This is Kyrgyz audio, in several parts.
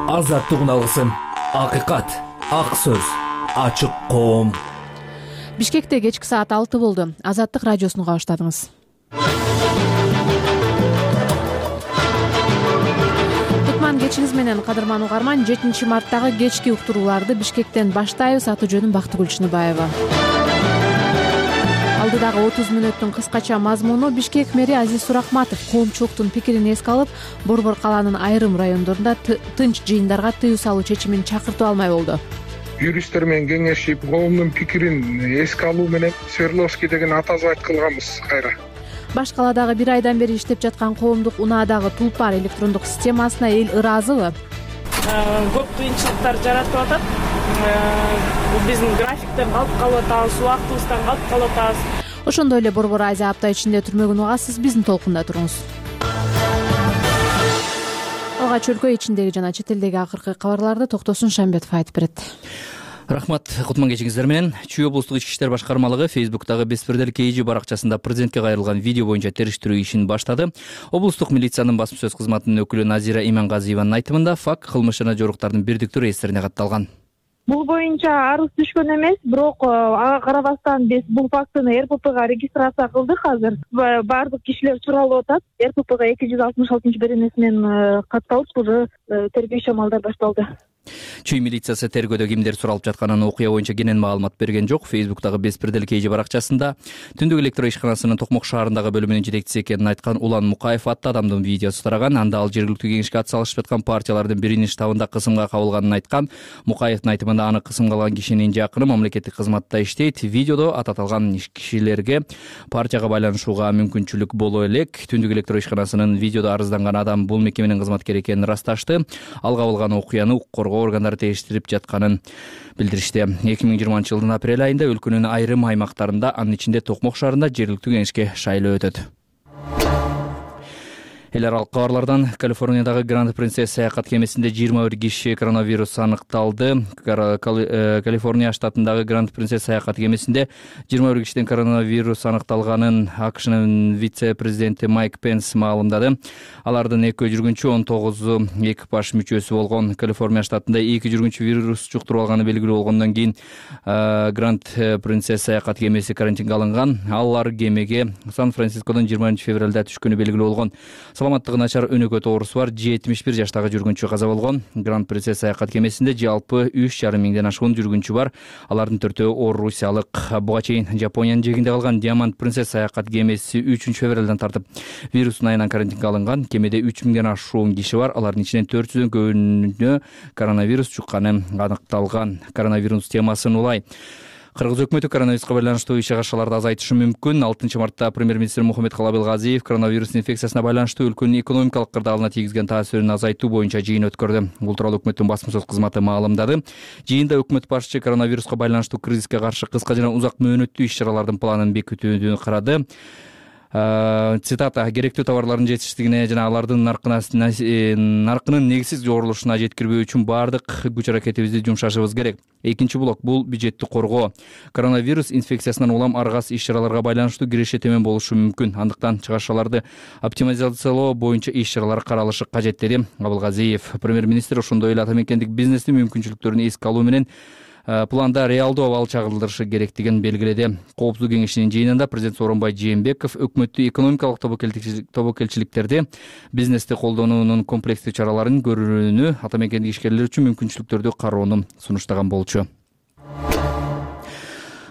Азаттык алгысым, акыйкат, ак сөз, ачык коом. Бишкекте кечки саат 6 болду. Азаттык радиосуна баштадыңыз. Кутман кечиңиз менен, кадырман угарман. 7 марттагы кечки уктурууларды Бишкектен баштайбыз. Аты жөнүм Бактыгүл Чыныбаева. Алдыдагы 30 мүнөттүн кыскача мазмуну: Бишкек мэри Азиз Сурахматов коомчулуктун пикирин эске алып, Борбор калаанын айрым райондорунда тынч жыйындарга тыюу салуу чечимин чакыртып алмай болду. Юристтер менен кеңешип, коомдун пикирин эске алуу менен Свердловский деген атазы айткылганбыз кайра. Баш калаадагы 1 айдан бери иштеп жаткан коомдук унаадагы Тулпар электрондук системасына эл ыраазыбы? Көп кыйынчылыктар жаратып атат. Биздин графиктен калып калып атабыз, убактыбыздан калып калып атабыз. Ошондой эле Борбор Азия апта ичинде түрмөгүн угасыз. Биздин толкунда туруңуз. Алгач өлкө ичиндеги жана чет элдеги акыркы кабарларды Токтосун Шамбетов айтып берет. Рахмат, кутман кечиңиздер менен. Чүй облустук ички иштер башкармалыгы Фейсбуктагы Беспредел KG баракчасында президентке кайрылган видео боюнча териштирүү ишин баштады. Облустук милициянын басма сөз кызматынын өкүлү Назира Имангазиеванын айтымында факт кылмыш жана жоруктардын бирдиктүү реестрине катталган. Бул боюнча арыз түшкөн эмес, бирок ага карабастан биз бул фактыны РППга регистрация кылдык. Азыр баардык кишилер суралып атат. РППга 266-беренеси менен катталып, уже тергөө иш-амалдар башталды. Чүй милициясы тергөөдө кимдер суралып жатканын окуя боюнча кенен маалымат берген жок. Фейсбуктагы Беспредел KG баракчасында Түндүк электро ишканасынын Токмок шаарындагы бөлүмүнүн жетекчиси экенин айткан Улан Мукаев аттуу адамдын видеосу тараган. Анда ал жергиликтүү кеңешке ат салышып жаткан партиялардын биринин штабында кысымга кабылганын айткан. Мукаевдин айтымында аны кысымга алган кишинин жакыны мамлекеттик кызматта иштейт. Видеодо ат аталган кишилерге партияга байланышууга мүмкүнчүлүк боло элек. Түндүк электро ишканасынын видеодо арызданган адам бул мекеменин кызматкери экенин ырасташты. Ал кабылган окуяны укук коргоо органдары териштирип жатканын билдиришти. 2020-жылдын апрель айында өлкөнүн айрым аймактарында, анын ичинде Токмок шаарында жергиликтүү кеңешке шайлоо өтөт. Эл аралык кабарлардан: Калифорниядагы Гранд Принцесс саякат кемесинде 21 киши коронавирус аныкталды. Калифорния штатындагы Гранд Принцесс саякат кемесинде 21 кишиден коронавирус аныкталганын АКШнын вице-президенти Майк Пенс маалымдады. Алардын 2 жүргүнчү, 19 экипаж мүчөсү болгон. Калифорния штатында 2 жүргүнчү вирус жуктуруп алганы белгилүү болгондон кийин Гранд Принцесс саякат кемеси карантинге алынган. Алар кемеге Сан-Францискодон 20 февралда түшкөнү белгилүү болгон. Саламаттыгы начар өнөкөт оорусу бар 71 жаштагы жүргүнчү каза болгон. Гранд Принцесс саякат кемесинде жалпы 3,5 миңден ашуун жүргүнчү бар. Алардын 4-өө орусиялык. Буга чейин Жапониянын жээгинде калган Diamond Princess саякат кемеси 3 февралдан тартып вирустун айынан карантинге алынган. Кемеде 3 миңден ашуун киши бар. Алардын ичинен 400дөн көбүнө коронавирус жукканы аныкталган. Коронавирус темасын улай: Кыргыз өкмөтү коронавируска байланыштуу иш-чараларды азайтышы мүмкүн. 6 мартта премьер-министр Мухаммедкалый Абылгазиев коронавирус инфекциясына байланыштуу өлкөнүн экономикалык кырдаалына тийгизген таасирин азайтуу боюнча жыйын өткөрдү. Бул тууралуу өкмөттүн басма сөз кызматы маалымдады. Жыйында өкмөт башчы коронавируска байланыштуу кризиске каршы кыска жана узак мөөнөттүү иш-чаралардын планын бекитүүнү карады. Цитата: керектүү товарлардын жетиштигине жана алардын наркынын негизсиз жоорулушуна жеткирбөө үчүн баардык күч аракетибизди жумшашыбыз керек. Экинчи блок — бул бюджетти коргоо. Коронавирус инфекциясынан улам аргас иш-чараларга байланыштуу киреше темен болушу мүмкүн. Андыктан чыгарышаларды оптимизациялоо боюнча иш-чаралар каралышы кажет, деди Абылгазиев. Премьер-министр ошондой эле ата мекендик бизнестин мүмкүнчүлүктөрүн эске алуу менен планда реалдуу абал чагылдырышы керектигин белгиледи. Коопсуздук кеңешинин жыйынында президент Сооронбай Жээнбеков өкмөттү экономикалык тобокелчиликтерди, бизнести колдонуунун комплекстүү чараларын көрүүнү, ата мекендик ишкерлер үчүн мүмкүнчүлүктөрдү кароону сунуштаган болчу.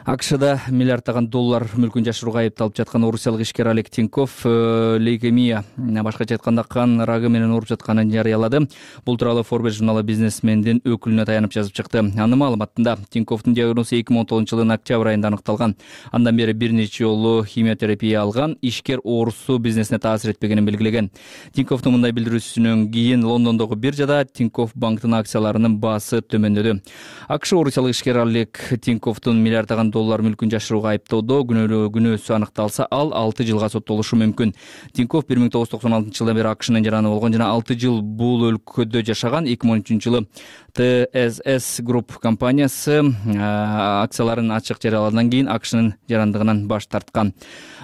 АКШда миллиарддаган доллар мүлкүн жашырууга айыпталып жаткан орусиялык ишкер Олег Тиньков лейкемия, башкача айтканда кан рагы менен ооруп жатканын жарыялады. Бул тууралуу Forbes журналы бизнесмендин өкүлүнө таянып жазып чыкты. Анын маалыматында Тиньковдун диагнозу 2019-жылдын октябрь айында аныкталган. Андан бери бир нече жолу химиотерапия алган. Ишкер оорусу бизнесине таасир этпегенин белгилеген. Тиньковдун мындай билдирүүсүнөн кийин Лондондогу биржада Тиньков банктын акцияларынын баасы төмөндөдү. АКШ орусиялык ишкер Олег Тиньковдун миллиарддаган доллар мүлкүн жашырууга айыптоодо күнөөсү анықталса, ал 6 жылга соттолушу мүмкүн. Тинькофф 1996 жылдан бери АКШнын жараны болгон жана 6 жыл бул өлкөдө жашаган. 2013 жылы ТСС Group компаниясы акцияларын ачык жарыялагандан кийин АКШнын жарандыгынан баш тарткан.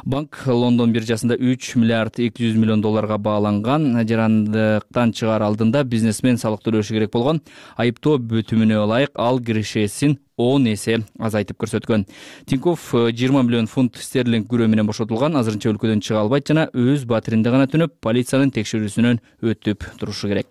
Банк Лондон биржасында 3 миллиард 200 миллион долларга бааланган. Жарандыктан чыгаар алдында бизнесмен салык төлөшү керек болгон. Айыптоо бүтүмүнө ылайык ал киришесин 10 эсе азайтып көрсөткөн. Тинькофф 20 миллион фунт стерлинг күрөө менен бошотулган. Азырынча өлкөдөн чыга албайт жана өз батиринде гана түнөп, полициянын текшерүүсүнөн өтүп турушу керек.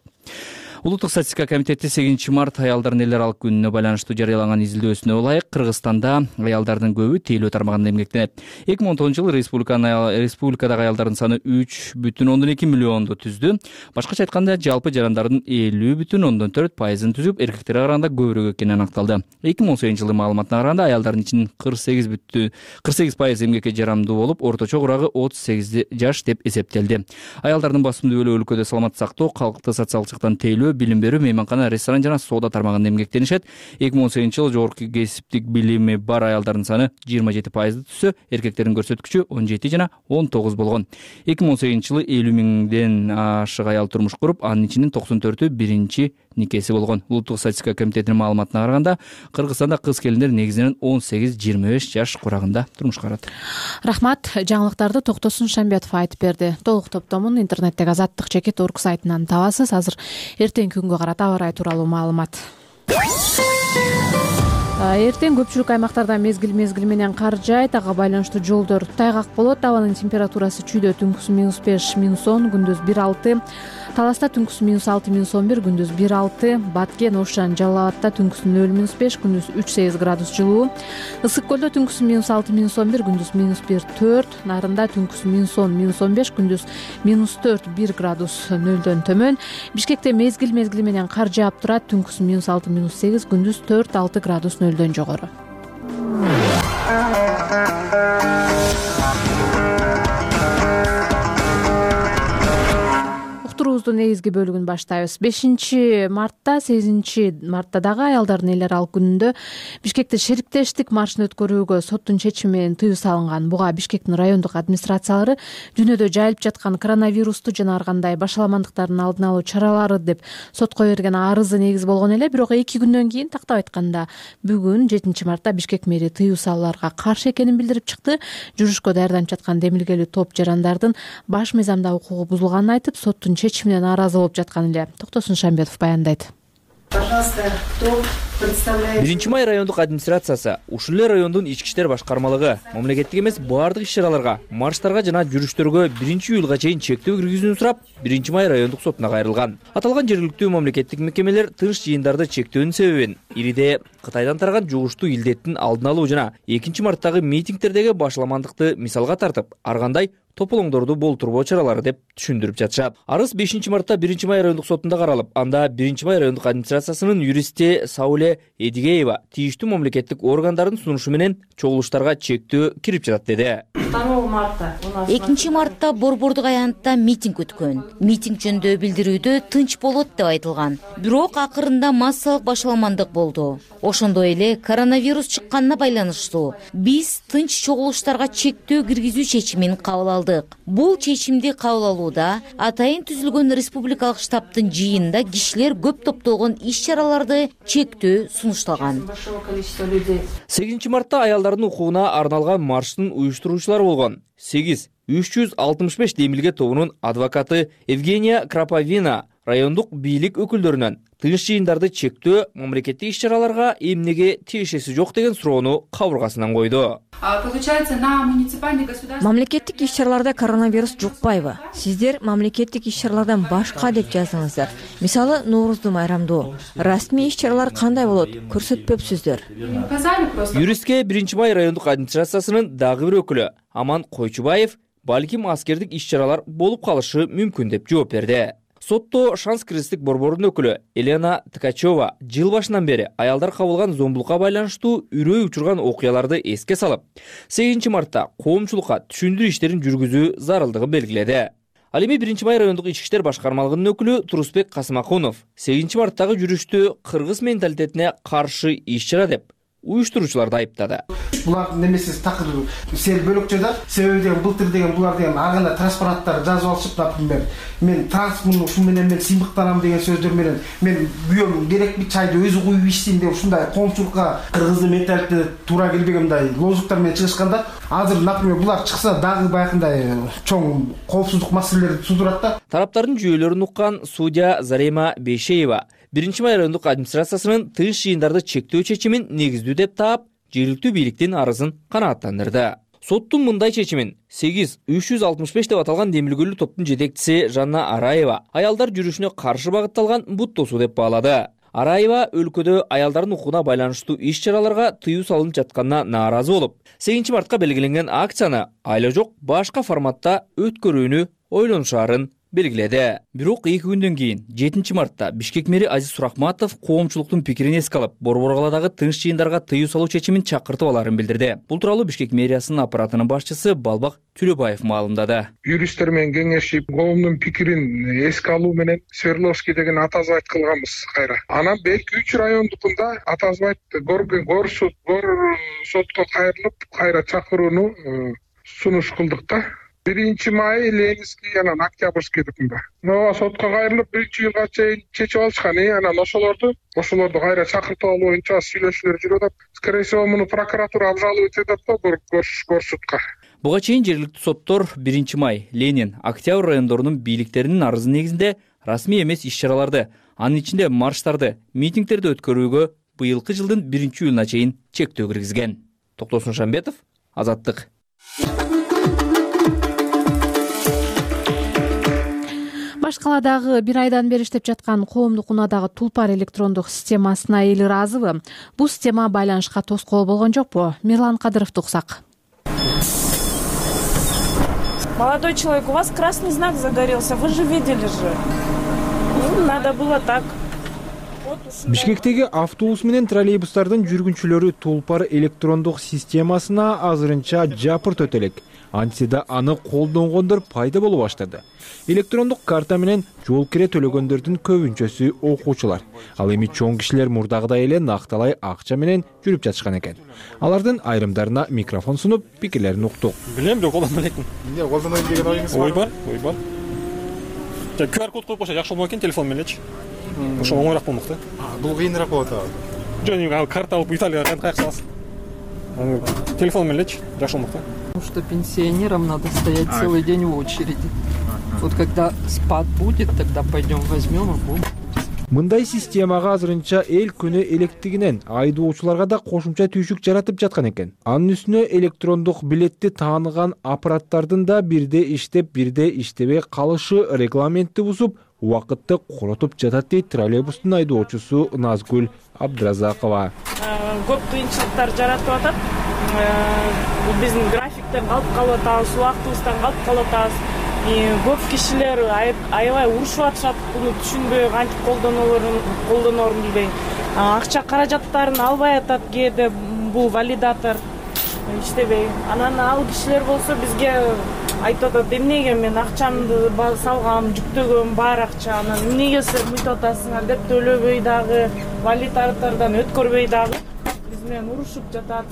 Улуттук статистика комитети 8 март аялдардын эл аралык күнүнө байланыштуу жарыялаган изилдөөсүнө ылайык Кыргызстанда аялдардын көбү тейлөө тармагында эмгектенет. 2010 жылы республикадагы аялдардын саны 3,2 миллионду түздү. Башкача айтканда, жалпы жарандардын 50,4% түзүп, эркектерге караганда көбүрөөк экени аныкталды. 2018 жылы маалыматына караганда аялдардын ичинин 48% эмгекке жарамдуу болуп, орточо курагы 38 жаш деп эсептелди. Аялдардын басымдуу бөлүгү өлкөдө саламат сактоо, калкты социалдык жактан тейлөө, билим берүү, мейманкана, ресторан жана соода тармагында эмгектенишет. 2018 жылы жогорку кесиптик билими бар аялдардын саны 27% түзсө, эркектердин көрсөткүчү 17 жана 19 болгон. 2018 жылы 50 миңден ашык аял турмуш куруп, анын ичинин 94-ü биринчи никеси болгон. Улуттук статистика комитетинин маалыматына караганда, Кыргызстанда кыз келиндер негизинен 18-25 жаш курагында турмуш курат. Рахмат. Жаңылыктарды Токтосун Шамбетов айтып берди. Толук топтомун интернеттеги azattik.org сайтынан табасыз. Азыр эртең күнгө карата аба ырайы тууралуу маалымат. Эртең көпчүлүк аймактарда мезгил менен кар жаайт. Ага байланыштуу жолдор тайгак болот. Абанын температурасы чүйдө түнкүсү -5, -10, күндүз 1-6. Таласта түнкүсү -6, -11, күндүз 1-6. Баткен, Ошан, Жалал Абадта түнкүсү 0-5, күндүз 3-8 градус жылуу. Ысык көлдө түнкүсү -6, -11, күндүз -1-4. Нарында түнкүсү -10, -15, күндүз -4, 1 градус нөлдөн төмөн. Бишкекте мезгил менен кар жаап турат. Түнкүсү -6, -8, күндүз 4-6 градус нөлдөн жогору. Уктуруубуздун негизги бөлүгүн баштайбыз. 5 мартта, 8 мартта дагы аялдардын эл аралык күнүндө Бишкекте шериктештик маршын өткөрүүгө соттун чечими менен тыюу салынган. Буга Бишкектин райондук администрациялары дүйнөдө жайылып жаткан коронавирусту жана ар кандай башаламандыктардын алдын алуу чаралары деп сотко берген арызы негиз болгон эле. Бирок 2 күндөн кийин, тактап айтканда, бүгүн 7 мартта Бишкек мэри тыюу салууларга каршы экенин билдирип чыкты. Жүрүшкө даярданып жаткан демилгелүү топ жарандардын баш мыйзамда укугу бузулганын айтып, соттун чечимине нааразы болуп жаткан эле. Токтосун Шамбетов баяндайт. Пожалуйста, кто представляет? 1 май райондук администрациясы, ушул эле райондун ички иштер башкармалыгы мамлекеттик эмес баардык иш-чараларга, марштарга жана жүрүштөргө 1 июлга чейин чектөө киргизүүнү сурап, 1 май райондук сотуна кайрылган. Аталган жергиликтүү мамлекеттик мекемелер тынч жыйындарды чектөөнүн себебин Ириде Кытайдан тараган жугуштуу илдеттин алдын алуу жана 2 марттагы митингтердеги башаламандыкты мисалга тартып, ар кандай тополоңдорду болтурбоо чаралары деп түшүндүрүп жатышат. Арыз 5 мартта 1 май райондук сотунда каралып, анда 1 май райондук администрациясынын юристи Сауле Эдигеева тийиштүү мамлекеттик органдардын сунушу менен чогулуштарга чектөө кирип жатат деди. 2 мартта Борбордук аянтта митинг өткөн. Митинг жөнүндө билдирүүдө тынч болот деп айтылган. Бирок акырында массалык башаламандык болду. Ошондой эле коронавирус чыкканына байланыштуу биз тынч чогулуштарга чектөө киргизүү чечимин кабыл алдык. Бул чечимди кабыл алууда атайын түзүлгөн республикалык штабтын жыйынында кишилер көп топтолгон иш-чараларды чектөө сунушталган. 8 мартта аялдардын укугуна арналган марштын уюштуруучулары болгон 8-365 демилге тобунун адвокаты Евгения Краповина райондук бийлик өкүлдөрүнөн тынч жыйындарды чектөө мамлекеттик иш-чараларга эмнеге тиешеси жок деген суроону кабыргасынан койду. Мамлекеттик иш-чараларда коронавирус жукпайбы? Сиздер мамлекеттик иш-чаралардан башка деп жаздыңыздар. Мисалы, Нооруздун майрамдуу. Расмий иш-чаралар кандай болот? Көрсөтпөпсүздөр. Юристке 1 май райондук администрациясынын дагы бир өкүлү Аман Койчубаев балким аскердик иш-чаралар болуп калышы мүмкүн деп жооп берди. Сотто Шанс кыргыздык борборунун өкүлү Елена Ткачева жыл башынан бери аялдар кабылган зомбулукка байланыштуу үрөй учурган окуяларды эске салып, 8 мартта коомчулукка түшүндүрүү иштерин жүргүзүү зарылдыгын белгиледи. Ал эми 1 май райондук ички иштер башкармалыгынын өкүлү Турусбек Касымакунов 8 марттагы жүрүштү кыргыз менталитетине каршы иш-чара деп уюштуруучуларды айыптады. Булардын немеси такыр сел бөлөкчө да, себеби деген былтыр деген булар деген ар кандай транспаранттар жазып алышып, например, мен транспортун ушун менен мен сыймыктанам деген сөздөр менен мен күйөөм керекпи чайды өзү куюп ичсин деп ушундай коомчулукка кыргыздын менталитетине туура келбеген мындай лозунгтар менен чыгышканда, азыр, например, булар чыкса дагы баягындай чоң коопсуздук маселелерди туудурат да. Тараптардын жүйөлөрүн уккан судья Зарема Бейшеева 1-май райондук администрациясынын тыгыз жыйындарды чектөө чечимин негиздүү деп таап, жергиликтүү бийликтин арызын канааттандырды. Соттун мындай чечимин 8-365 деп аталган демилгөлүү топтун жетекчиси Жанна Араева аялдар жүрүшүнө каршы багытталган бут тосуу деп баалады. Араева өлкөдө аялдардын укугуна байланыштуу иш-чараларга тыюу салынып жатканына нааразы болуп, 8 мартка белгиленген акцияны айла жок башка форматта өткөрүүнү ойлонушаарын белгиледи. Бирок 2 күндөн кийин 7 мартта Бишкек мэри Азиз Сурахматов коомчулуктун пикирин эске алып, Борбор калаадагы тыныч жыйындарга тыюу салуу чечимин чакыртып аларын билдирди. Бул тууралуу Бишкек мэриясынын аппаратынын башчысы Балбак Түлөбаев маалымдады. Юристтер менен кеңешип, коомдун пикирин эске алуу менен Свердловский деген атазбайт кылганбыз кайра. Анан Бек 3 райондукунда атазбайт гор сотко кайрылып, кайра чакырууну сунуш кылдык да. 1-май Ленинский анан Октябрьскийдикинде. Сотко кайрылып 1-жылга чейин чечип алышкан. Анан ошолорду кайра чакыртып алуу боюнча сүйлөшүүлөр жүрүп атат. Скорее всего, муну прокуратура обжаловать этет да горсудка. Буга чейин жергиликтүү соттор 1-май, Ленин, Октябрь райондорунун бийликтеринин арызы негизинде расмий эмес иш-чараларды, анын ичинде марштарды, митингдерди өткөрүүгө быйылкы жылдын 1-июлуна чейин чектөө киргизген. Токтосун Шамбетов, Азаттык. Баш калаадагы 1 айдан бери иштеп жаткан коомдук унаадагы Тулпар электрондук системасына эли ыраазыбы? Бул система байланышка тоскоол болгон жокпу? Мирлан Кадыровду уксак. Молодой человек, у вас красный знак загорелся, вы же видели же. Надо было так. Бишкектеги автобус менен троллейбустардын жүргүнчүлөрү Тулпар электрондук системасына азырынча жапырт элек. Антида аны колдонгондор пайда боло баштады. Электрондук карта менен жол кире төлөгөндөрдүн көбүнчөсү окуучулар. Ал эми чоң кишилер мурдагыдай эле накталай акча менен жүрүп жатышкан экен. Алардын айрымдарына микрофон сунуп, пикирлерин уктук. Билем, бирок колдонбой элекмин. Эмне колдонбойм деген оюңуз бар? Ой бар. QR код коюп койсо жакшы болмок экен телефон мененчи. Ошо оңоюраак болмок да. Бул кыйыныраак болот ага. Жөн карта алып Италияга каяк саласың. Телефон мененчи жакшы болмок да. Потому что пенсионерам надо стоять целый день в очереди. Вот когда спад будет, тогда пойдем возьмем и будем. Мындай системага азырынча эл күнү электигинен айдоочуларга да кошумча түйшүк жаратып жаткан экен. Анын үстүнө электрондук билетти тааныган аппараттардын да бирде иштеп, бирде иштебей калышы регламентти бузуп, убакытты коротуп жатат дейт троллейбустун айдоочусу Назгүл Абдыразакова. Көп кыйынчылыктар жаратып атат. Биздин графиктен калып калып атабыз, убактыбыздан калып калып атабыз. Көп кишилер аябай урушуп атышат, буну түшүнбөй, кантип колдоноорун билбей. Акча каражаттарын албай атат кээде бул валидатор иштебей. Анан ал кишилер болсо бизге айтып атат, эмнеге мен акчамды салгам, жүктөгөм бар акча, анан эмнеге силер мынтип атасыңар деп төлөбөй дагы, валидатордон өткөрбөй дагы биз менен урушуп жатат.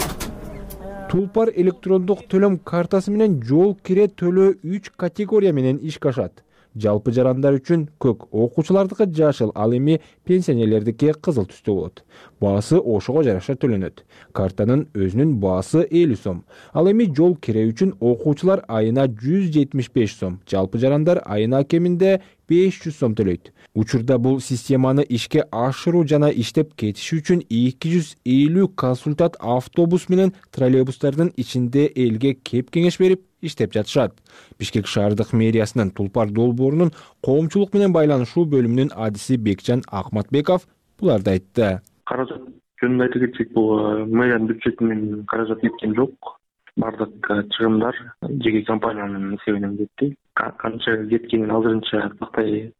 Тулпар электрондук төлөм картасы менен жол кире төлөө 3 категория менен ишке ашат. Жалпы жарандар үчүн көк, окуучулардыкы жашыл, ал эми пенсионерлердики кызыл түстө болот. Баасы ошого жараша төлөнөт. Картанын өзүнүн баасы 50 сом. Ал эми жол кире үчүн окуучулар айына 175 сом, жалпы жарандар айына кеминде 500 сом төлөйт. Учурда бул системаны ишке ашыруу жана иштеп кетиши үчүн 250 консультант автобус менен троллейбустардын ичинде элге кеп кеңеш берип иштеп жатышат. Бишкек шаардык мэриясынын Тулпар долбоорунун коомчулук менен байланышуу бөлүмүнүн адиси Бекжан Акматбеков буларды айтты. Каражат жөнүндө айта кетсек, бул мэриянын бюджетинен каражат кеткен жок. Бардык чыгымдар жеке компаниянын эсебинен кетти. Канча кеткенин азырынча тактай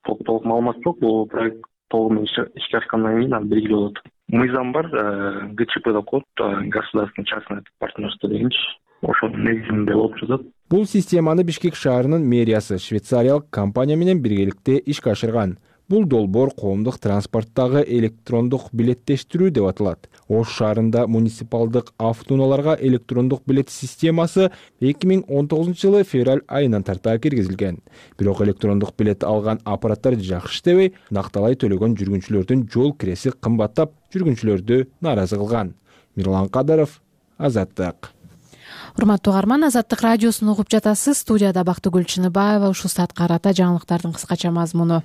толук маалымат жок. Бул проект толугу ишке ашкандан кийин аны белгилүү болот. Мыйзам бар, ГЧП код, государственное частное партнерство дегенчи. Ошонун негизинде болуп жатат. Бул системаны Бишкек шаарынын мэриясы швейцариялык компания менен биргеликте ишке ашырган. Бул долбоор коомдук транспорттагы электрондук билеттештирүү деп аталат. Ош шаарында муниципалдык автоунааларга электрондук билет системасы 2019 жылы февраль айынан тарта киргизилген. Бирок электрондук билет алган аппараттар жакшы иштебей, накталай төлөгөн жүргүнчүлөрдүн жол киреси кымбаттап, жүргүнчүлөрдү нааразы кылган. Мирлан Кадаров, Азаттык. Урматтуу угарман, Азаттык радиосун угуп жатасыз. Студияда Бактыгүл Чыныбаева. Ушул саатка карата жаңылыктардын кыскача мазмуну.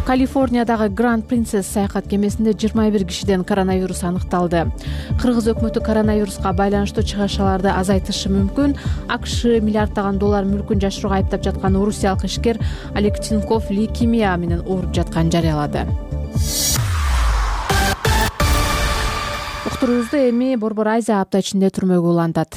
Калифорниядагы Grand Princess саякат кемесинде 21 кишиден коронавирус аныкталды. Кыргыз өкмөтү коронавируска байланыштуу чыгышаларды азайтышы мүмкүн. АКШ миллиарддаган доллар мүлкүн жашырууга айыптап жаткан орусиялык ишкер Олег Тиньков лейкемия менен ооруп жатканын жарыялады. Уктуруубузду эми Борбор Азия апта ичинде түрмөгө улантат.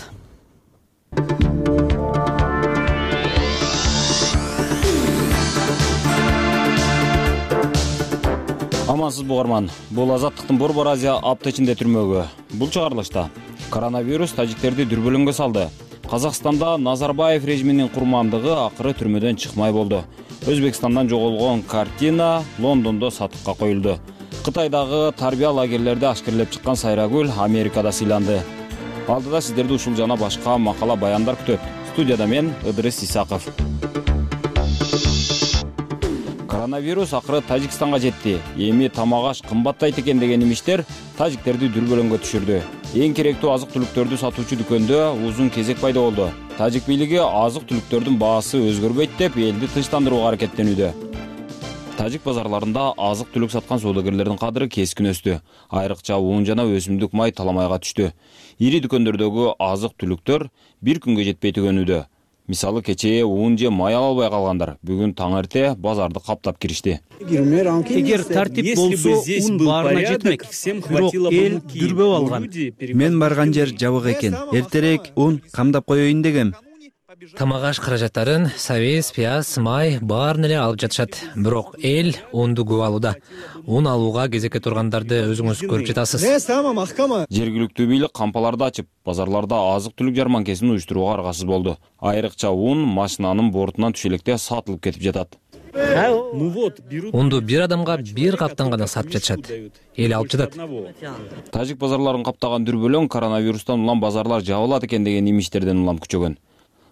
Амансыз угарман. Бул Азаттыктын Борбор Азия апта ичинде түрмөгө. Бул чыгарылышта коронавирус тажиктерди дүрбөлөңгө салды. Казакстанда Назарбаев режиминин курмандыгы акыры түрмөдөн чыкмай болду. Өзбекстандан жоголгон картина Лондондо сатыкка коюлду. Кытайдагы тарбия лагерлерде ашкерлеп чыккан Сайрагүл Америкада сыйланды. Алдыда сиздерди ушул жана башка макала баяндар күтөт. Студияда мен Ыдырыс Исаков. Коронавирус акыры Тажикстанга жетти. Эми тамак аш кымбаттайт экен деген имиштер тажиктерди дүрбөлөңгө түшүрдү. Эң керектүү азык-түлүктөрдү сатуучу дүкөндө узун кезек пайда болду. Тажик бийлиги азык-түлүктөрдүн баасы өзгөрбөйт деп элди тынчтандырууга аракеттенүүдө. Тажик базарларында азык-түлүк саткан соодагерлердин кадыры кескин өстү. Айрыкча un жана өсүмдүк май таламайга түштү. Ири дүкөндөрдөгү азык-түлүктөр бир күнгө жетпей түгөнүүдө. Мисалы кечээ un же май ала албай калгандар бүгүн таң эрте базарды каптап киришти. Эгер тартип болсо un баарына жетмек. Бирок эл дүрбөп алган. Мен барган жер жабык экен. Эртерээк un камдап коеюн дегем. Тамак аш каражаттарын сабиз, пияз, май баарын эле алып жатышат. Бирок эл унду көп алууда. Un алууга кезекке тургандарды өзүңүз көрүп жатасыз. Жергиликтүү бийлик кампаларды ачып, базарларда азык-түлүк жарманкесин уюштурууга аргасыз болду. Айрыкча un машинанын бортунан түшө электе сатылып кетип жатат. Унду бир адамга бир каптан гана сатып жатышат. Эл алып жатат. Тажик базарларын каптаган дүрбөлөң коронавирустан улам базарлар жабылат экен деген имиштерден улам күчөгөн.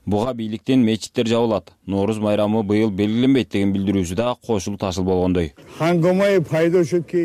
Буга бийликтен мечиттер жабылат. Нооруз майрамы быйыл белгиленбейт деген билдирүүсү да кошулуп ташыл болгондой.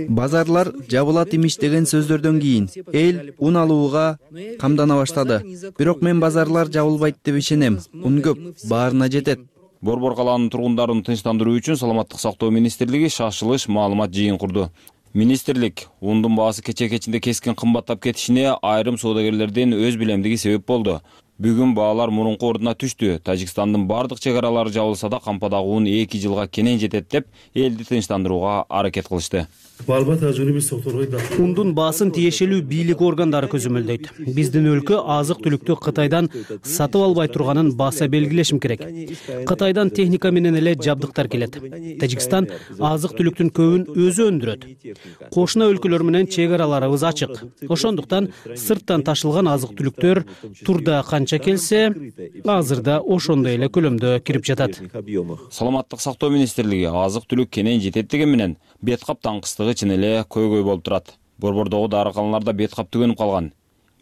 Базарлар жабылат имиш деген сөздөрдөн кийин эл un алууга камдана баштады. Бирок мен базарлар жабылбайт деп ишенем. Un көп, баарына жетет. Борбор калаанын тургундарын тынчтандыруу үчүн Саламаттык сактоо министрлиги шашылыш маалымат жыйын курду. Министрлик ундун баасы кече-кечинде кескин кымбаттап кетишине айрым соодагерлердин өз билемдиги себеп болду. Бүгүн баалар мурунку ордуна түштү. Тажикстандын бардык чек аралары жабылса да кампадагы un 2 жылга кенен жетет деп элди тынчтандырууга аракет кылышты. Ундун баасын тиешелүү бийлик органдары көзөмөлдөйт. Биздин өлкө азык-түлүктү Кытайдан сатып албай турганын баса белгилешим керек. Кытайдан техника менен эле жабдыктар келет. Тажикстан азык-түлүктүн көбүн өзү өндүрөт. Кошуна өлкөлөр менен чек араларыбыз ачык. Ошондуктан сырттан ташылган азык-түлүктөр турда канча келсе, азырда ошондой эле көлөмдө кирип жатат. Саламаттык сактоо министрлиги азык-түлүк кенен жетет деген менен бет кап таңкыстыгы чын эле көйгөй болуп турат. Борбордогу дарыканаларда бет кап түгөнүп калган.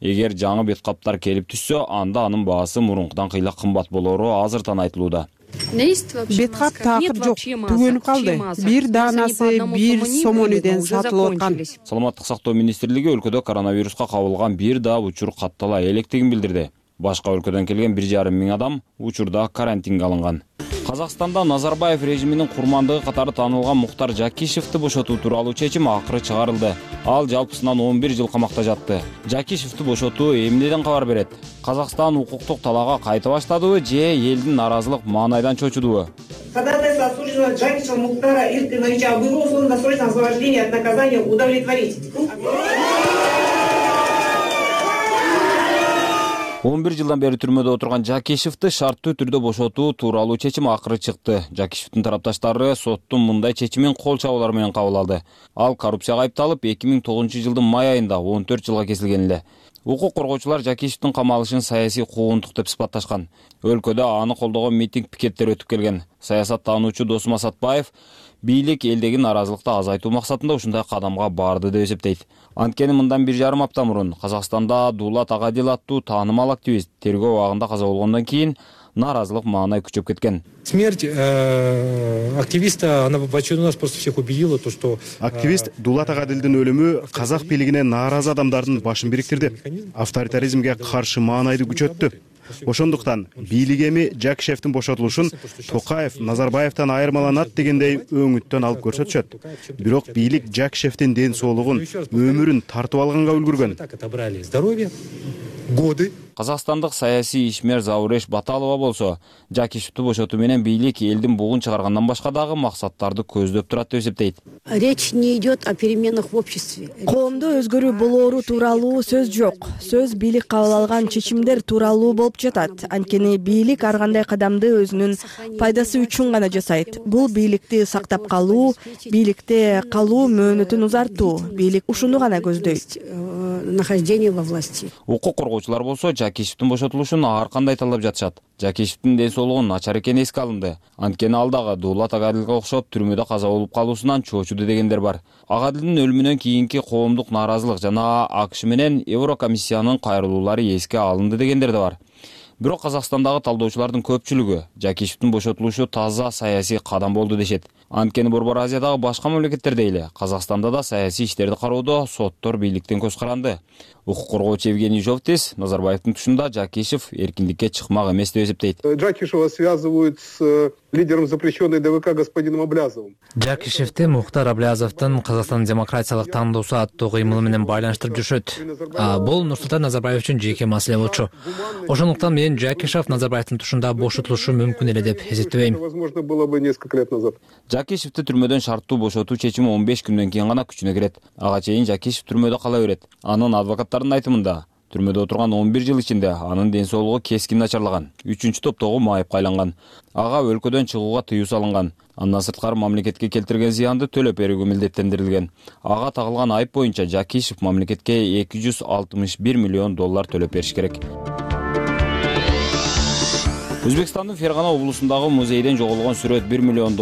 Эгер жаңы бет каптар келип түшсө, анда анын баасы мурункудан кыйла кымбат болору азыртан айтылууда. Бет кап такыр жок, түгөнүп калды. Бир даанасы 1 сомонуден сатылып аткан. Саламаттык сактоо министрлиги өлкөдө коронавируска кабылган бир да учур каттала электигин билдирди. Башка өлкөдөн келген 1,5 миң адам учурда карантинге алынган. Казакстанда Назарбаев режиминин курмандыгы катары таанылган Мухтар Жакишевди бошотуу тууралуу чечим акыры чыгарылды. Ал жалпысынан 11 жыл камакта жатты. Жакишевди бошотуу эмнеден кабар берет? Казакстан укуктук талаага кайта баштадыбы же элдин наразылык маанайдан чочудубу? Ходатайство осужденного Джакишева Мухтара Илкиновича об его условно-досрочном освобождении от наказания удовлетворить. 11 жылдан бери түрмөдө отурган Жакишевди шарттуу түрдө бошотуу тууралуу чечим акыры чыкты. Жакишевдин тарапташтары соттун мындай чечимин кол чабуулар менен кабыл алды. Ал коррупцияга айыпталып 2009 жылдын май айында 14 жылга кесилген эле. Укук коргоочулар Жакишевдин камалышын саясий куугунтук деп сыпатташкан. Өлкөдө аны колдогон митинг пикеттер өтүп келген. Саясаттануучу Досум Асатбаев бийлик элдеги нааразылыкты азайтуу максатында ушундай кадамга барды деп эсептейт. Анткени мындан 1,5 апта мурун Казакстанда Дулат Агадил аттуу таанымал активист тергөө убагында каза болгондон кийин нааразылык маанай күчөп кеткен. Смерть активиста, она в очередной раз просто всех убедила, то что активист Дулат Агадилдин өлүмү казак бийлигине нааразы адамдардын башын бириктирди. Авторитаризмге каршы маанайды күчөттү. Ошондуктан бийлик эми Жакишевдин бошотулушун Токаев Назарбаевтан айырмаланат дегендей өңүттөн алып көрсөтүшөт. Бирок бийлик Жакишевдин ден соолугун, өмүрүн тартып алганга үлгүргөн. Казакстандык саясий ишмер Зауреш Баталова болсо, Жакишевди бошотуу менен бийлик элдин бугун чыгаргандан башка дагы максаттарды көздөп турат деп эсептейт. Речь не идет о переменах в обществе. Коомдо өзгөрүү болоору тууралуу сөз жок. Сөз бийлик кабыл алган чечимдер тууралуу болуп жатат. Анткени бийлик ар кандай кадамды өзүнүн пайдасы үчүн гана жасайт. Бул бийликти сактап калуу, бийликте калуу мөөнөтүн узартуу. Бийлик ушуну гана көздөйт. Нахождение во власти. Укук коргоочулар болсо Жакишевдин бошотулушун ар кандай талап жатышат. Жакишевдин ден соолугу начар экени эске алынды. Анткени ал дагы Дулат Агадилге окшоп түрмөдө каза болуп калуусунан чоочуду дегендер бар. Агадилдин өлүмүнөн кийинки коомдук нааразылык жана АКШ менен Еврокомиссиянын кайрылуулары эске алынды дегендер да бар. Бирок Казакстандагы талдоочулардын көпчүлүгү Жакишевдин бошотулушу таза саясий кадам болду дешет. Анткени Борбор Азиядагы башка мамлекеттерде эле Казакстанда да саясий иштерди кароодо соттор бийликтен көз каранды. Укук коргоочу Евгений Жовтис Назарбаевдин тушунда Жакишев эркиндикке чыкмак эмес деп эсептейт. Жакишева связывают с лидером запрещенной ДВК господином Аблязовым. Жакишевди Мухтар Аблязовдун Казакстан демократиялык тандоосу аттуу кыймылы менен байланыштырып жүрүшөт. Бул Нурсултан Назарбаев үчүн жеке маселе болчу. Ошондуктан мен Жакишев Назарбаевдин тушунда бошотулушу мүмкүн эле деп эсептебейм. Возможно, было бы несколько лет назад. Жакишевди түрмөдөн шарттуу бошотуу чечими 15 күндөн кийин гана күчүнө кирет. Ага чейин Жакишев түрмөдө кала берет. Анын адвокаттарынын айтымында түрмөдө отурган 11 жыл ичинде анын ден соолугу кескин начарлаган. 3-чү топтогу майыпка айланган. Ага өлкөдөн чыгууга тыюу салынган. Андан сырткары мамлекетке келтирген зыянды төлөп берүүгө милдеттендирилген. Ага тагылган айып боюнча Жакишев мамлекетке $261 миллион төлөп бериш керек. Өзбекстандын Фергана облусундагы музейден жоголгон сүрөт $1 миллион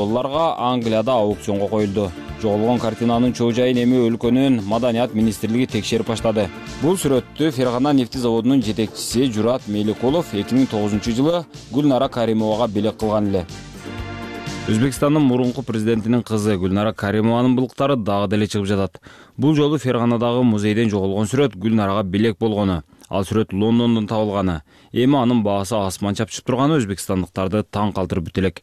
Англияда аукционго коюлду. Жоголгон картинанын чоо жайын эми өлкөнүн Маданият министрлиги текшерип баштады. Бул сүрөттү Фергана нефти заводунун жетекчиси Журат Меликулов 2009-жылы Гүлнара Каримовага белек кылган эле. Өзбекстандын мурунку президентинин кызы Гүлнара Каримованын былыктары дагы деле чыгып жатат. Бул жолу Ферганадагы музейден жоголгон сүрөт Гүлнарага белек болгону. Ал сүрөт Лондондон табылганы. Эми анын баасы асман чапчып турганы өзбекстандыктарды таң калтырып бүт элек.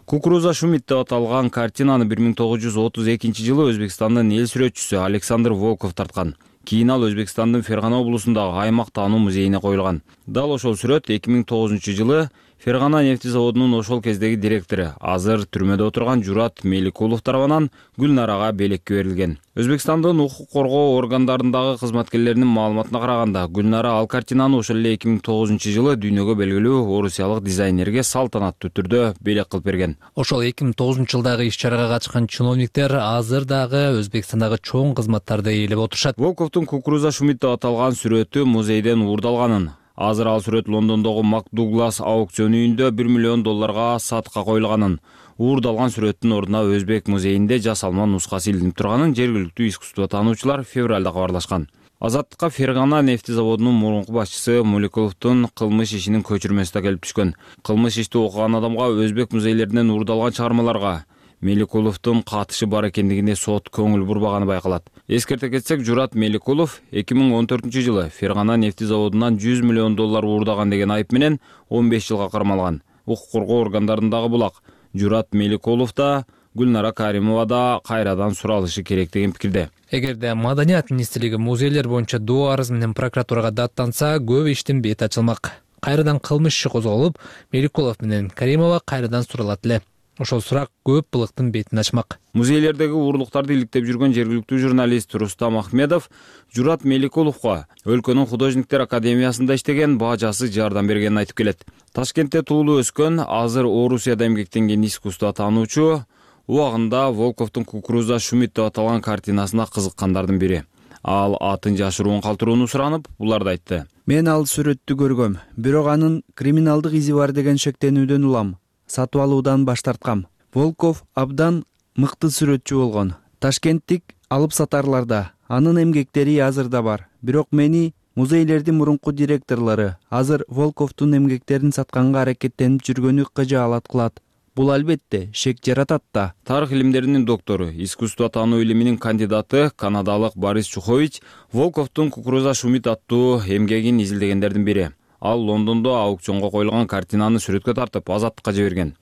Кукуруза Шумит деп аталган картинаны 1932-жылы Өзбекстандын эл сүрөтчүсү Александр Волков тарткан. Кийин ал Өзбекстандын Фергана облусундагы аймак таануу музейине коюлган. Дал ошол сүрөт 2009-жылы Фергана нефти заводунун ошол кездеги директору, азыр түрмөдө отурган Журат Меликулов тарабынан Гүлнарага белекке берилген. Өзбекстандын укук коргоо органдарындагы кызматкерлеринин маалыматына караганда, Гүлнара ал картинаны ошол эле 2009-жылы дүйнөгө белгилүү орусиялык дизайнерге салтанаттуу түрдө белек кылып берген. Ошол 2009-жылдагы иш-чарага катышкан чиновниктер азыр дагы Өзбекстандагы чоң кызматтарды ээлеп отурушат. Волковдун Кукуруза Шумит деп аталган сүрөтү музейден уурдалганын, азыр ал сүрөт Лондондогу Макдуглас аукцион үйүндө $1 миллион сатка коюлганын, уурдалган сүрөттүн ордуна Өзбек музейинде жасалма нускасы илинип турганын жергиликтүү искусство таануучулар февралда кабарлашкан. Азаттыкка Фергана нефти заводунун мурунку башчысы Муликуловдун кылмыш ишинин көчүрмөсү да келип түшкөн. Кылмыш ишти окуган адамга Өзбек музейлеринен уурдалган чыгармаларга Меликуловдун катышы бар экендигине сот көңүл бурбаганы байкалат. Эскерте кетсек, Журат Меликулов 2014-жылы Фергана нефти заводунан $100 миллион уурдаган деген айып менен 15 жылга кармалган. Укук коргоо органдарындагы булак Журат Меликулов да Гүлнара Каримова да кайрадан суралышы керек деген пикирде. Эгерде Маданият министрлиги музейлер боюнча доо арыз менен прокуратурага даттанса, көп иштин бети ачылмак. Кайрадан кылмыш иши козголуп, Меликулов менен Каримова кайрадан суралат эле. Ошол сурак көп былыктын бетин ачмак. Музейлердеги уурлуктарды иликтеп жүргөн жергиликтүү журналист Рустам Ахмедов Журат Меликуловго өлкөнүн художниктер академиясында иштеген бажасы жардам бергенин айтып келет. Ташкентте туулуп өскөн, азыр Орусияда эмгектенген искусство таануучу убагында Волковдун Кукуруза Шумит деп аталган картинасына кызыккандардын бири. Ал атын жашыруун калтырууну суранып, буларды айтты. Мен ал сүрөттү көргөм, бирок анын криминалдык изи бар деген шектенүүдөн улам. Сатып алуудан баш тарткам. Волков абдан мыкты сүрөтчү болгон. Ташкенттик алып сатарларда анын эмгектери азыр да бар. Бирок мени музейлердин мурунку директорлору азыр Волковдун эмгектерин сатканга аракеттенип жүргөнү кыжаалат кылат. Бул албетте шек жаратат да. Тарых илимдеринин доктору, искусство таануу илиминин кандидаты канадалык Борис Чухович Волковдун Кукуруза Шумит аттуу эмгегин изилдегендердин бири. Ал Лондондо аукционго коюлган картинаны сүрөткө тартып, азаттыкка жиберген.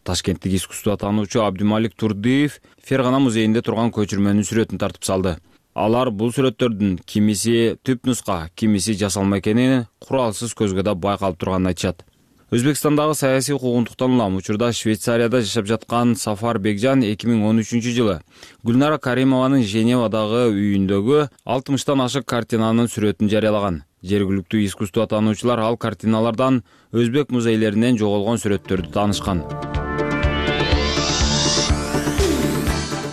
Ташкенттик искусство таануучу Абдималик Турдиев Фергана музейинде турган көчүрмөнүн сүрөтүн тартып салды. Алар бул сүрөттөрдүн кимиси түп нуска, кимиси жасалма экенин куралсыз көзгө да байкалып турганын айтышат. Өзбекстандагы саясий куугунтуктан улам учурда Швейцарияда жашап жаткан Сафар Бекжан 2013-жылы Гүлнара Каримованын Женевадагы үйүндөгү 60тан ашык картинанын сүрөтүн жарыялаган. Жергиликтүү искусство таануучулар ал картиналардан өзбек музейлеринен жоголгон сүрөттөрдү таанышкан.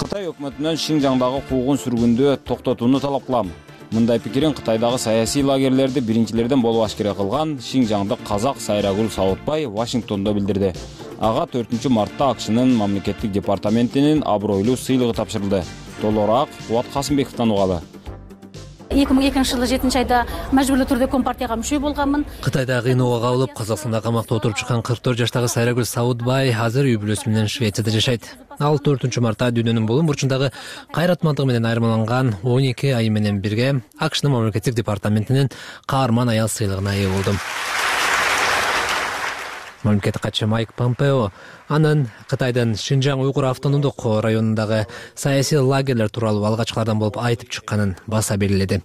Кытай өкмөтүнөн Шинжаңдагы куугун сүргүндү токтотууну талап кылам. Мындай пикирин Кытайдагы саясий лагерлерди биринчилерден болуп ашкере кылган шинжаңдык казак Сайрагүл Сауытбай Вашингтондо билдирди. Ага 4-мартта АКШнын мамлекеттик департаментинин абройлуу сыйлыгы тапшырылды. Толугураак Кубат Касымбековдон угалы. 2002-жылы 7-айда мажбурлуу түрдө Компартияга мүчө болгонмун. Кытайда кыйноого кабылып, Казакстанда камакта отуруп чыккан 44 жаштагы Сайрагүл Сауытбай азыр үй бүлөсү менен Швецияда жашайт. Ал 4-мартта дүйнөнүн булум бурчундагы кайратмандыгы менен айырмаланган 12 ай менен бирге АКШнын мамлекеттик департаментинин каарман аял сыйлыгына ээ болду. Мамлекеттик катчы Майк Помпео анын Кытайдын Шинжаң уйгур автономдук районундагы саясий лагерлер тууралуу алгачкылардан болуп айтып чыкканын баса белгиледи.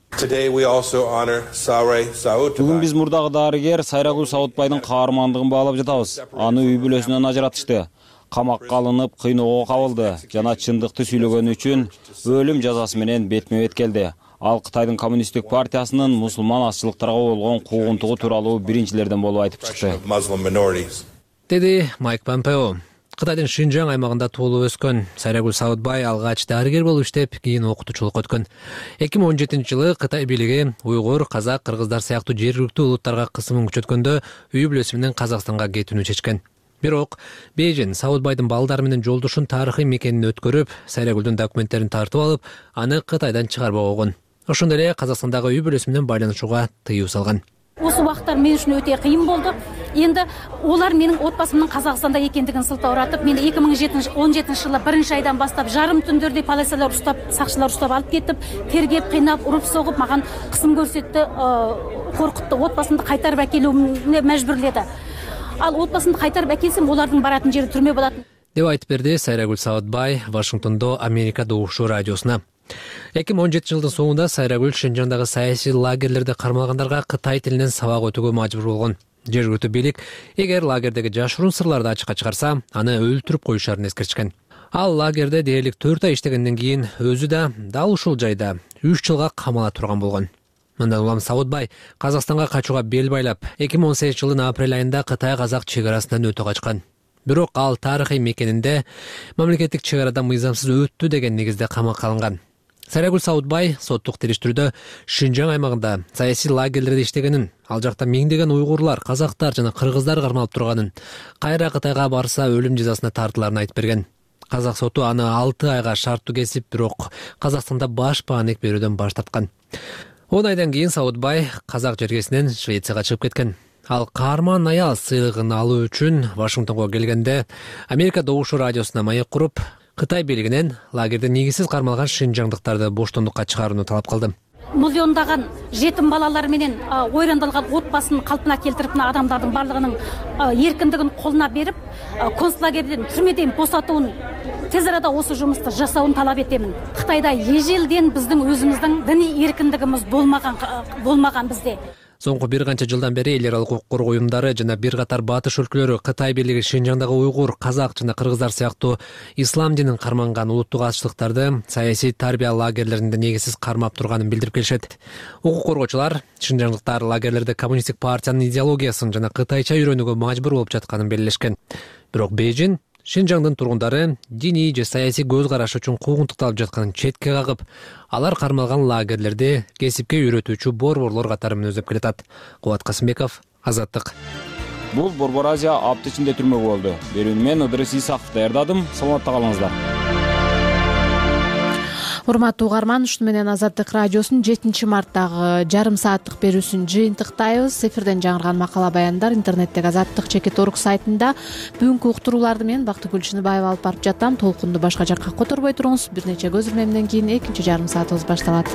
Бүгүн биз мурдагы дарыгер Сайрагүл Сауытбайдын каармандыгын баалап жатабыз. Аны үй бүлөсүнөн ажыратышты. Камакка алынып, кыйноого кабылды жана чындыкты сүйлөгөнү үчүн өлүм жазасы менен бетме-бет келди. Ал Кытайдын коммунисттик партиясынын мусулман азчылыктарга болгон куугунтугу тууралуу биринчилерден болуп айтып чыкты. Деди Майк Помпео. Кытайдын Шинжаң аймагында туулуп өскөн Сайрагүл Сауытбай алгач дарыгер болуп иштеп, кийин окутуучулукка өткөн. 2017-жылы Кытай бийлиги уйгур, казак, кыргыздар сыяктуу жергиликтүү улуттарга кысымын күчөткөндө үй бүлөсү менен Казакстанга кетүүнү чечкен. Бирок Бейжин Сауытбайдын балдары менен жолдошун тарыхый мекенин өткөрүп, Сайрагүлдүн документтерин тартып алып, аны Кытайдан чыгарбак болгон. Ошондой эле Казакстандагы үй бүлөсү менен байланышууга тыюу салган. Осы убакыттар мен үчүн өтө кыйын болду. Енді олар менің отбасымның Қазақстанда екендігін сылтауратып, мені 2017-жылы 1-айдан бастап жарым түндерде полициялар ұстап, сақшылар ұстап алып кетіп, тергеп, қинап, ұрып соғып, маған қысым көрсетті, қорқытты, отбасымды қайтарып әкелуіме мәжбүрледі. Ал отбасымды қайтарып әкелсем, олардың баратын жері түрме болатын. Деп айтып берди Сайрагүл Сауытбай Вашингтондо Америка Добушу радиосуна. 2017 жылдын соңунда Сайрагүл Шинжаңдагы саясий лагерлерде кармалгандарга Кытай тилинен сабак өтүүгө мажбур болгон. Жергиликтүү бийлик эгер лагердеги жашыруун сырларды ачыкка чыгарса, аны өлтүрүп коюшарын эскертишкен. Ал лагерде дээрлик 4 ай иштегенден кийин өзү да дал ушул жайда 3 жылга камала турган болгон. Мындан улам Сауытбай Казакстанга качууга бел байлап, 2018 жылдын апрель айында Кытай-Казак чегарасынан өтө качкан. Бирок ал тарыхый мекенинде мамлекеттик чегарада мыйзамсыз өттү деген негизде камакка алынган. Сайрагүл Сауытбай соттук териштирүүдө Шинжаң аймагында саясий лагерлерде иштегенин, ал жакта миңдеген уйгурлар, казактар жана кыргыздар кармалып турганын, кайра Кытайга барса өлүм жазасына тартыларын айтып берген. Казак соту аны 6 айга шарттуу кесип, бирок Казакстанда баш бааник берүүдөн баш тарткан. 10 айдан кийин Сауытбай казак жергесинен Швецияга чыгып кеткен. Ал каарман аял сыйлыгын алуу үчүн Вашингтонго келгенде Америка Добушу радиосуна маек куруп, Кытай бийлигинен лагерде негизсиз кармалган шинжаңдыктарды боштондукка чыгарууну талап кылды. Миллиондаган жетим балалар менен ойрандалган отбасын калпына келтирип, адамдардын барлыгынын эркиндигин колуна берип, концлагерден, түрмеден босатууун, тез арада осы жумусту жасауын талап этемин. Кытайда эжелден биздин өзүбүздүн диний эркиндигибиз болмаган бизде. Соңку бир канча жылдан бери эл аралык укук коргоо уюмдары жана бир катар батыш өлкөлөрү Кытай бийлиги Шинжаңдагы уйгур, казак жана кыргыздар сыяктуу ислам динин карманган улуттук азчылыктарды саясий тарбия лагерлеринде негизсиз кармап турганын билдирип келишет. Укук коргоочулар шинжаңдыктар лагерлерде коммунисттик партиянын идеологиясын жана кытайча үйрөнүүгө мажбур болуп жатканын белгилешкен. Бирок Бейжин Шинжаңдын тургундары диний же саясий көз караш үчүн куугунтукталып жатканын четке кагып, алар кармалган лагерлерди кесипке үйрөтүүчү борборлор катары мүнөздөп келатат. Кубат Касымбеков, Азаттык. Бул Борбор Азия апта ичинде түрмөгө болду. Берүүнү мен Ыдырыс Исаков даярдадым. Саламатта калыңыздар. Урматтуу угарман, ушуну менен Азаттык радиосунун 7 марттагы жарым сааттык берүүсүн жыйынтыктайбыз. Эфирден жаңырган макала баяндар интернеттеги azattik.org сайтында. Бүгүнкү уктурууларды мен Бактыгүл Чыныбаева алып барып жатам. Толкунду башка жакка которбой туруңуз. Бир нече көз ирмемден кийин экинчи жарым саатыбыз башталат.